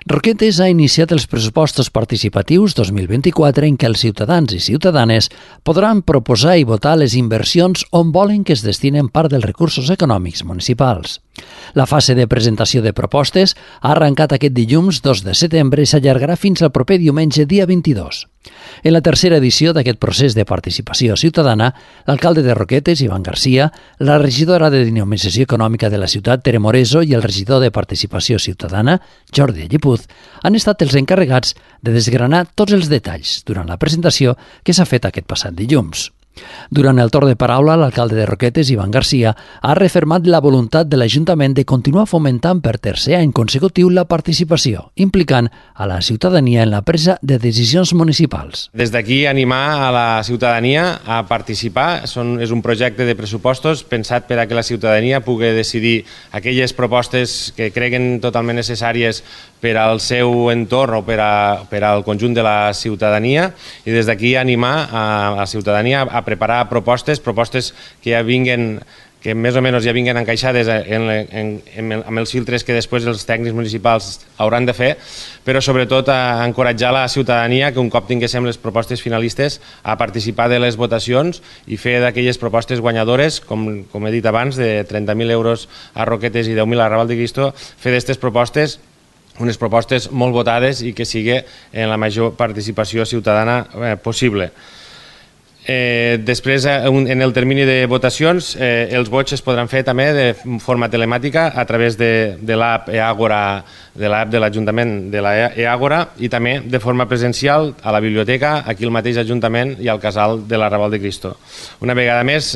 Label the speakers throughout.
Speaker 1: Roquetes ha iniciat els pressupostos participatius 2024 en què els ciutadans i ciutadanes podran proposar i votar les inversions on volen que es destinen part dels recursos econòmics municipals. La fase de presentació de propostes ha arrencat aquest dilluns 2 de setembre i s'allargarà fins al proper diumenge dia 22. En la tercera edició d'aquest procés de participació ciutadana, l'alcalde de Roquetes, Ivan Garcia, la regidora de Dinamització Econòmica de la ciutat, Tere Moreso, i el regidor de Participació Ciutadana, Jordi Allipuz, han estat els encarregats de desgranar tots els detalls durant la presentació que s'ha fet aquest passat dilluns. Durant el torn de paraula, l'alcalde de Roquetes, Ivan Garcia, ha refermat la voluntat de l'Ajuntament de continuar fomentant per tercer any consecutiu la participació, implicant a la ciutadania en la presa de decisions municipals.
Speaker 2: Des d'aquí animar a la ciutadania a participar. És un projecte de pressupostos pensat per a que la ciutadania pugui decidir aquelles propostes que creguen totalment necessàries per al seu entorn o per al conjunt de la ciutadania, i des d'aquí animar a la ciutadania a preparar propostes que ja vinguen, que més o menys ja vinguen encaixades amb els filtres que després els tècnics municipals hauran de fer, però sobretot a encoratjar la ciutadania que un cop tinguéssim les propostes finalistes a participar de les votacions i fer d'aquelles propostes guanyadores, com he dit abans, de 30.000 euros a Roquetes i 10.000 a Raval de Cristo, fer d'aquestes propostes unes propostes molt votades i que sigui en la major participació ciutadana possible. Després, en el termini de votacions, els vots es podran fer també de forma telemàtica a través de l'app e-Àgora, de l'app de l'Ajuntament de l'e-Àgora, i també de forma presencial a la biblioteca, aquí al mateix Ajuntament i al casal de la Raval de Cristo. Una vegada més,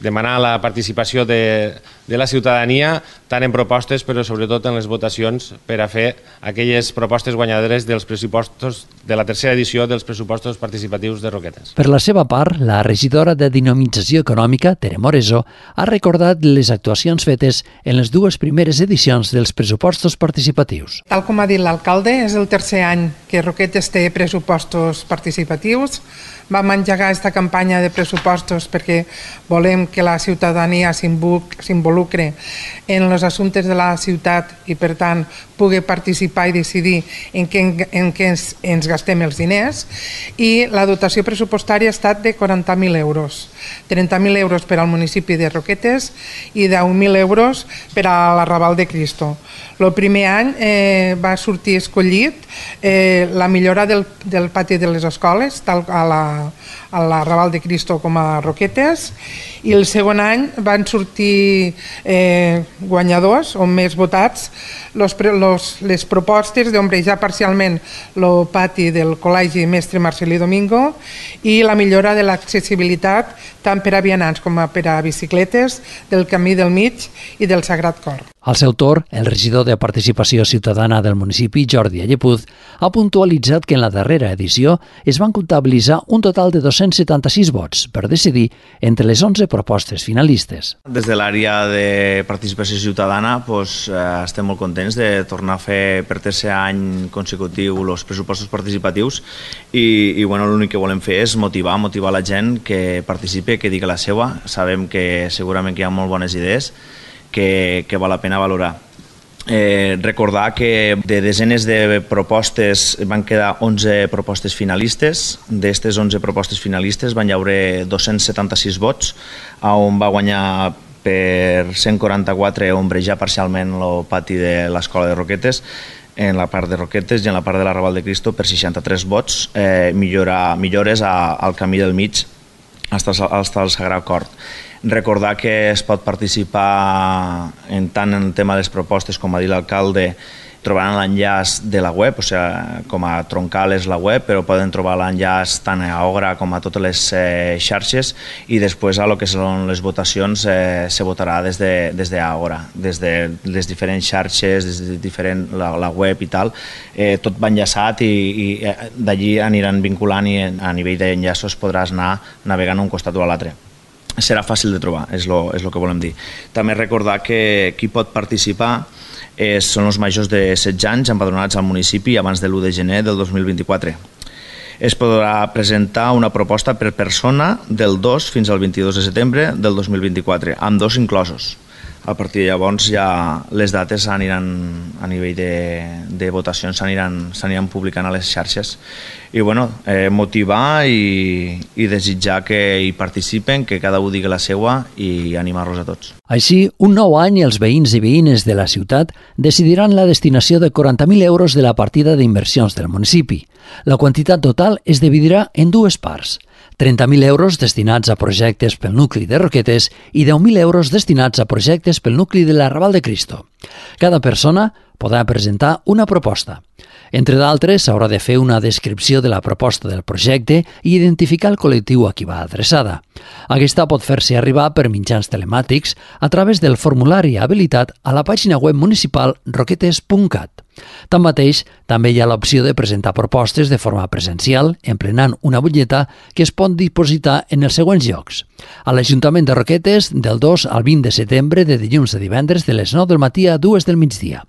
Speaker 2: demanar la participació de la ciutadania tant en propostes però sobretot en les votacions per a fer aquelles propostes guanyadores dels pressupostos de la tercera edició dels pressupostos participatius de Roquetes.
Speaker 1: Per la seva part, la regidora de Dinamització Econòmica, Tere Moreso, ha recordat les actuacions fetes en les dues primeres edicions dels pressupostos participatius.
Speaker 3: Tal com ha dit l'alcalde, és el tercer any que Roquetes té pressupostos participatius. Vam engegar aquesta campanya de pressupostos perquè volem que la ciutadania s'involucre en els assumptes de la ciutat i, per tant, pugui participar i decidir en què ens gastem els diners. I la dotació pressupostària ha estat de 40.000 euros. 30.000 euros per al municipi de Roquetes i 10.000 euros per a la Raval de Cristo. El primer any va sortir escollit la millora del pati de les escoles, tant a la Raval de Cristo com a Roquetes, i el segon any van sortir guanyadors o més votats les propostes d'ombrejar parcialment el pati del Col·legi Mestre Marcelí Domingo i la millora de l'accessibilitat tant per a vianants com per a bicicletes del Camí del Mig i del Sagrat Cor.
Speaker 1: Al seu torn, el regidor de Participació Ciutadana del municipi, Jordi Allipuz, ha puntualitzat que en la darrera edició es van comptabilitzar un total de 276 vots per decidir entre les 11 propostes finalistes.
Speaker 4: Des de l'àrea de Participació Ciutadana estem molt contents de tornar a fer per tercer any consecutiu els pressupostos participatius i l'únic que volem fer és motivar la gent que participi, que digui la seva. Sabem que segurament que hi ha molt bones idees que val la pena valorar. Recordar que de desenes de propostes van quedar 11 propostes finalistes. D'aquestes 11 propostes finalistes van haver 276 vots, on va guanyar per 144 ombrejar parcialment el pati de l'escola de Roquetes, en la part de Roquetes, i en la part de la Raval de Cristo per 63 vots, millores al Camí del Mig fins al Sagrat Cor. Recordar que es pot participar tant en el tema de les propostes, com ha dit l'alcalde, trobaran l'enllaç de la web, o sigui, com a troncal és la web, però poden trobar l'enllaç tant a Àgora com a totes les xarxes, i després a lo que són les votacions se votarà des d'Àgora, des de les diferents xarxes, des de la web i tal, tot va enllaçat i d'allí aniran vinculant i a nivell d'enllaços podràs anar navegant un costat o a l'altre. Serà fàcil de trobar, és el que volem dir. També recordar que qui pot participar són els majors de 16 anys empadronats al municipi abans de l'1 de gener del 2024. Es podrà presentar una proposta per persona del 2 fins al 22 de setembre del 2024, amb 2 inclosos. A partir de llavors ja les dates aniran a nivell de votacions s'aniran publicant a les xarxes i bueno, motivar i desitjar que hi participen, que cada un digui la seua i animar-los a tots.
Speaker 1: Així, un nou any els veïns i veïnes de la ciutat decidiran la destinació de 40.000 euros de la partida d'inversions del municipi. La quantitat total es dividirà en dues parts. 30.000 euros destinats a projectes pel nucli de Roquetes i 10.000 euros destinats a projectes pel nucli de l'Arrabal de Cristo. Cada persona podrà presentar una proposta. Entre d'altres, s'haurà de fer una descripció de la proposta del projecte i identificar el col·lectiu a qui va adreçada. Aquesta pot fer-se arribar per mitjans telemàtics a través del formulari habilitat a la pàgina web municipal roquetes.cat. Tanmateix, també hi ha l'opció de presentar propostes de forma presencial, emplenant una butlleta que es pot dipositar en els següents llocs. A l'Ajuntament de Roquetes, del 2 al 20 de setembre, de dilluns a divendres, de les 9 del matí a 2 del migdia.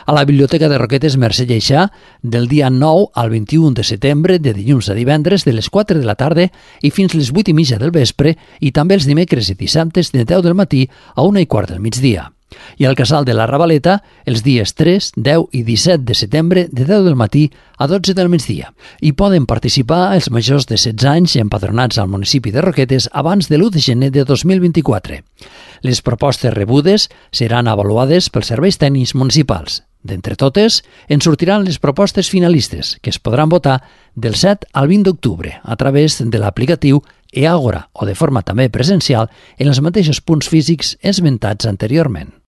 Speaker 1: A la Biblioteca de Roquetes Mercè Lleixà, del dia 9 al 21 de setembre, de dilluns a divendres, de les 4 de la tarda i fins les 8 i mitja del vespre, i també els dimecres i dissabtes de 10 del matí a 1:15 del migdia. I al Casal de la Ravaleta, els dies 3, 10 i 17 de setembre, de 10 del matí a 12 del migdia. Hi poden participar els majors de 16 anys empadronats al municipi de Roquetes abans de l'1 de gener de 2024. Les propostes rebudes seran avaluades pels serveis tècnics municipals. D'entre totes, en sortiran les propostes finalistes, que es podran votar del 7 al 20 d'octubre a través de l'aplicatiu eAgora o de forma també presencial en els mateixos punts físics esmentats anteriorment.